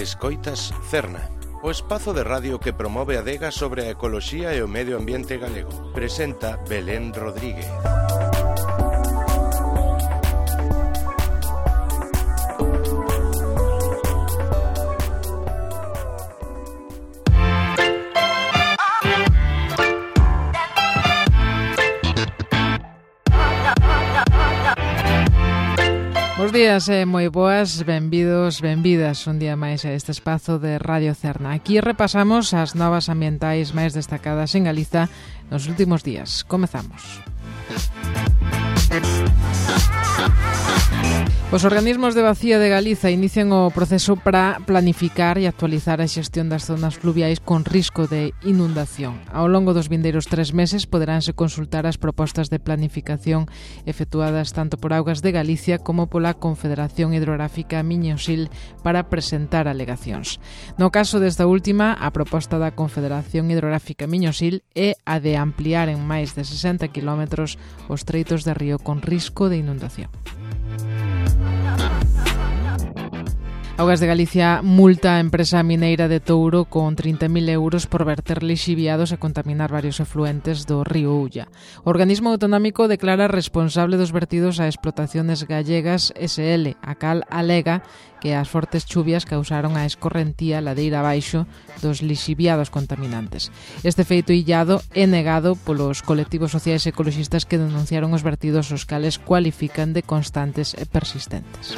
Escoitas Cerna, o espazo de radio que promove a adega sobre a ecoloxía e o medio ambiente galego. Presenta Belén Rodríguez. Bos días e moi boas, benvidos, benvidas un día máis a este espazo de Radio Cerna. Aquí repasamos as novas ambientais máis destacadas en Galiza nos últimos días. Comezamos. Os organismos de Bacía de Galiza inician o proceso para planificar e actualizar a xestión das zonas fluviais con risco de inundación. Ao longo dos vindeiros 3 meses poderánse consultar as propostas de planificación efectuadas tanto por Augas de Galicia como pola Confederación Hidrográfica Miño-Sil para presentar alegacións. No caso desta última, a proposta da Confederación Hidrográfica Miño-Sil é a de ampliar en máis de 60 km os treitos de río con risco de inundación. Augas de Galicia multa a empresa mineira de Touro con 30.000 euros por verter lixiviados e contaminar varios efluentes do río Ulla. O organismo autonómico declara responsable dos vertidos a Explotaciones Gallegas SL, a cal alega que as fortes chuvias causaron a escorrentía ladeira abaixo dos lixiviados contaminantes. Este feito illado é negado polos colectivos sociais e ecoloxistas que denunciaron os vertidos, os cales cualifican de constantes e persistentes.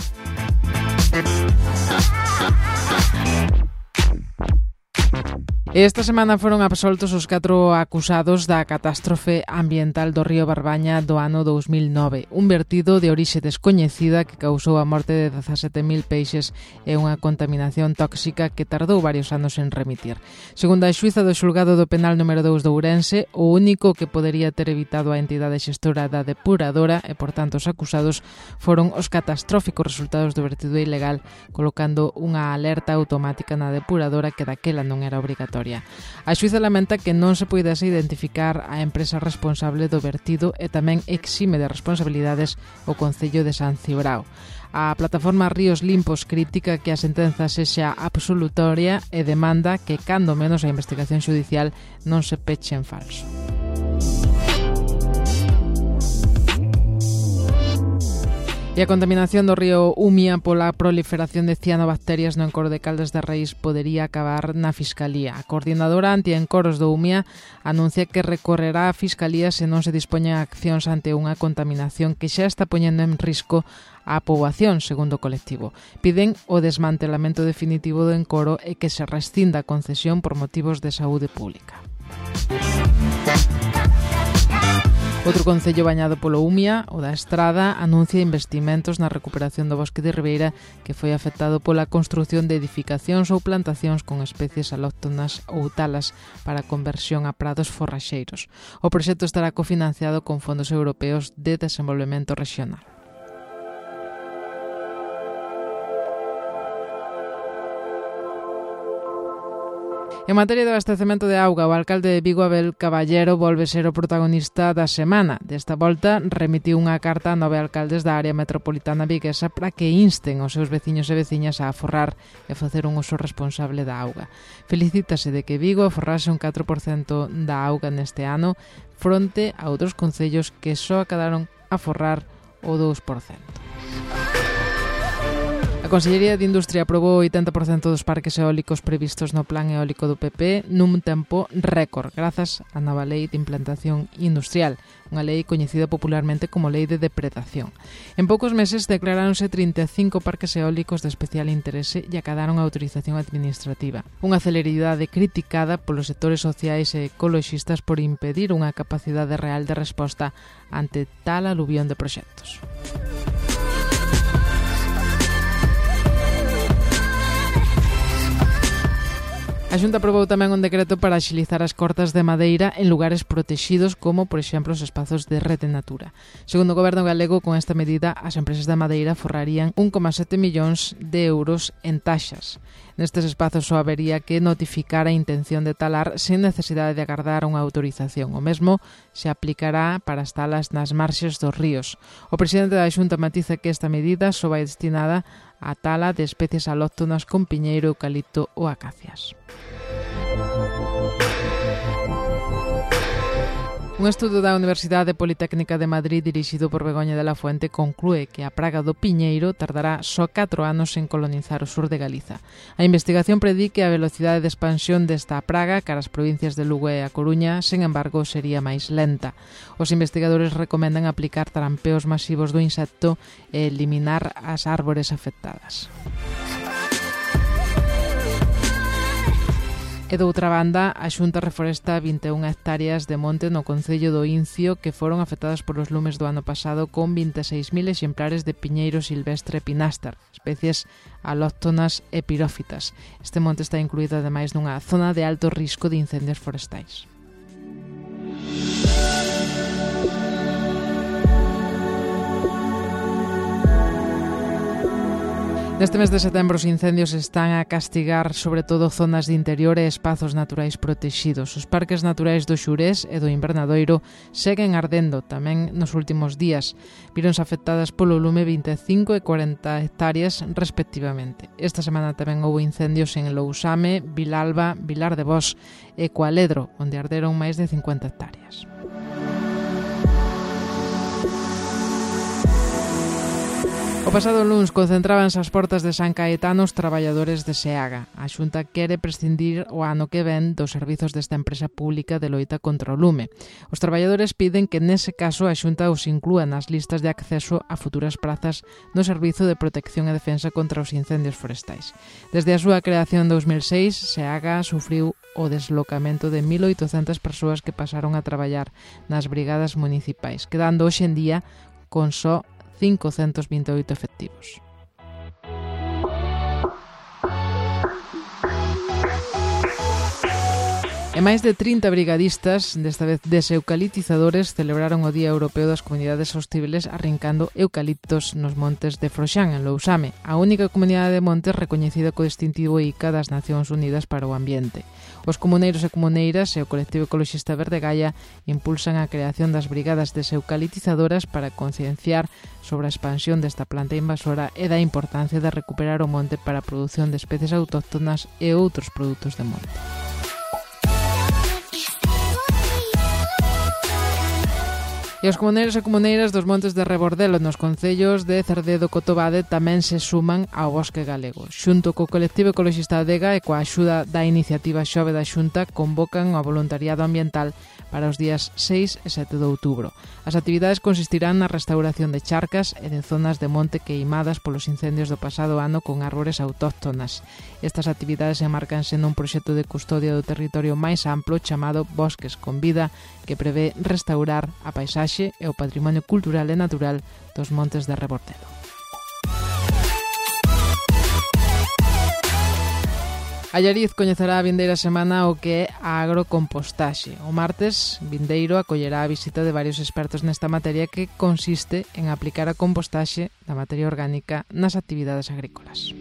Esta semana foron absoltos os 4 acusados da catástrofe ambiental do río Barbaña do ano 2009, un vertido de orixe descoñecida que causou a morte de 17.000 peixes e unha contaminación tóxica que tardou varios anos en remitir. Segundo a xuíza do xulgado do penal número 2 de Ourense, o único que podería ter evitado a entidade xestora da depuradora e, por tanto, os acusados foron os catastróficos resultados do vertido ilegal, colocando unha alerta automática na depuradora que daquela non era obrigatoria. A xuíza lamenta que non se poidase identificar a empresa responsable do vertido e tamén exime de responsabilidades o Concello de San Cibrao. A plataforma Ríos Limpos critica que a sentenza sexa absolutoria e demanda que, cando menos, a investigación xudicial non se peche en falso. E a contaminación do río Umia pola proliferación de cianobacterias no encoro de Caldas de Reis podería acabar na Fiscalía. A coordinadora anti-encoros do Umia anuncia que recorrerá a Fiscalía se non se dispoñen accións ante unha contaminación que xa está poñendo en risco a poboación, segundo o colectivo. Piden o desmantelamento definitivo do encoro e que se rescinda a concesión por motivos de saúde pública. Outro concello bañado polo Umia, o da Estrada, anuncia investimentos na recuperación do bosque de Ribeira que foi afectado pola construción de edificacións ou plantacións con especies alóctonas ou talas para conversión a prados forraxeiros. O proxecto estará cofinanciado con fondos europeos de desenvolvemento regional. En materia de abastecemento de auga, o alcalde de Vigo, Abel Caballero, volve ser o protagonista da semana. Desta volta, remitiu unha carta a 9 alcaldes da área metropolitana viguesa para que insten os seus veciños e veciñas a aforrar e facer un uso responsable da auga. Felicítase de que Vigo aforrase un 4% da auga neste ano, fronte a outros concellos que só acabaron a aforrar o 2%. A Consellería de Industria aprobou o 80% dos parques eólicos previstos no Plan Eólico do PP nun tempo récord, grazas á nova Lei de Implantación Industrial, unha lei coñecida popularmente como Lei de Depredación. En poucos meses declaráronse 35 parques eólicos de especial interese e acadaron a autorización administrativa. Unha celeridade criticada polos sectores sociais e ecoloxistas por impedir unha capacidade real de resposta ante tal aluvión de proxectos. A Xunta aprobou tamén un decreto para axilizar as cortas de madeira en lugares protexidos como, por exemplo, os espazos de Rede Natura. Segundo o Goberno galego, con esta medida, as empresas de madeira forrarían 1,7 millóns de euros en taxas. Nestes espazos só habería que notificar a intención de talar sen necesidade de agardar unha autorización. O mesmo se aplicará para as talas nas marxes dos ríos. O presidente da Xunta matiza que esta medida só vai destinada a tala de especies alóctonas con piñeiro, eucalipto ou acacias. Un estudo da Universidade Politécnica de Madrid dirixido por Begoña de la Fuente conclúe que a praga do piñeiro tardará só 4 anos en colonizar o sur de Galiza. A investigación predí que a velocidade de expansión desta praga cara as provincias de Lugo e A Coruña, sen embargo, sería máis lenta. Os investigadores recomendan aplicar trampeos masivos do insecto e eliminar as árbores afectadas. E doutra banda, a Xunta reforesta 21 hectáreas de monte no concello do Incio que foron afectadas polos lumes do ano pasado con 26.000 exemplares de piñeiro silvestre pinástar, especies alóctonas e pirófitas. Este monte está incluído ademais nunha zona de alto risco de incendios forestais. Neste mes de setembro os incendios están a castigar sobre todo zonas de interior e espazos naturais protexidos. Os parques naturais do Xurés e do Invernadoiro seguen ardendo tamén nos últimos días. Víronse afectadas polo lume 25 e 40 hectáreas respectivamente. Esta semana tamén houve incendios en Lousame, Vilalba, Vilar de Bos e Cualedro, onde arderon máis de 50 hectáreas. O pasado luns concentrábanse ás portas de San Caetano os traballadores de SEAGA. A Xunta quere prescindir o ano que ven dos servizos desta empresa pública de loita contra o lume. Os traballadores piden que nese caso a Xunta os inclúa nas listas de acceso a futuras prazas no Servizo de Protección e Defensa contra os Incendios Forestais. Desde a súa creación en 2006, SEAGA sufriu o deslocamento de 1.800 persoas que pasaron a traballar nas brigadas municipais, quedando hoxe en día con só 528 efectivos. E máis de 30 brigadistas, desta vez deseucalitizadores, celebraron o Día Europeo das Comunidades Hostibles arrincando eucaliptos nos montes de Froxán, en Lousame, a única comunidade de montes recoñecida co distintivo ICA das Nacións Unidas para o Ambiente. Os comuneiros e comuneiras e o colectivo ecoloxista Verde Gaia impulsan a creación das brigadas deseucalitizadoras para concienciar sobre a expansión desta planta invasora e da importancia de recuperar o monte para a produción de especies autóctonas e outros produtos de monte. E os comuneiros e comuneiras dos montes de Rebordelo nos concellos de Cerdedo e Cotobade tamén se suman ao bosque galego. Xunto co colectivo ecoloxista Adega e coa axuda da iniciativa Xove da Xunta convocan o voluntariado ambiental para os días 6 e 7 de outubro. As actividades consistirán na restauración de charcas e de zonas de monte queimadas polos incendios do pasado ano con árbores autóctonas. Estas actividades enmarcanse nun proxecto de custodia do territorio máis amplo chamado Bosques con Vida, que prevé restaurar a paisaxe e o patrimonio cultural e natural dos montes de Rebordelo. Allariz coñecerá a vindeira semana o que é a agrocompostaxe. O martes vindeiro acollerá a visita de varios expertos nesta materia que consiste en aplicar a compostaxe da materia orgánica nas actividades agrícolas.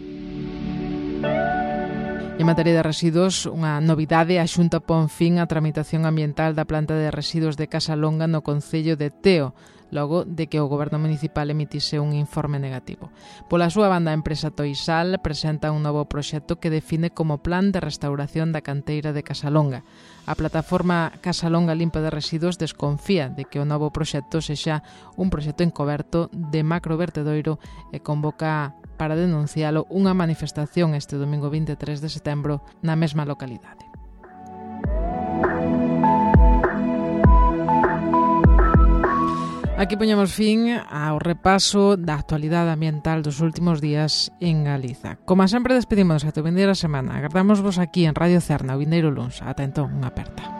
En materia de residuos, unha novidade, a Xunta pon fin á tramitación ambiental da planta de residuos de Casalonga no concello de Teo, logo de que o Goberno Municipal emitise un informe negativo. Pola súa banda, a empresa Toisal presenta un novo proxecto que define como plan de restauración da canteira de Casalonga. A plataforma Casalonga Limpa de Residuos desconfía de que o novo proxecto sexa un proxecto encoberto de macrovertedoiro e convoca para denuncialo unha manifestación este domingo 23 de setembro na mesma localidade. Aquí poñemos fin ao repaso da actualidade ambiental dos últimos días en Galiza. Como sempre, despedimos ata a vindeira semana. Agardamos vos aquí en Radio Cerna o vindeiro luns. Ata entón, unha aperta.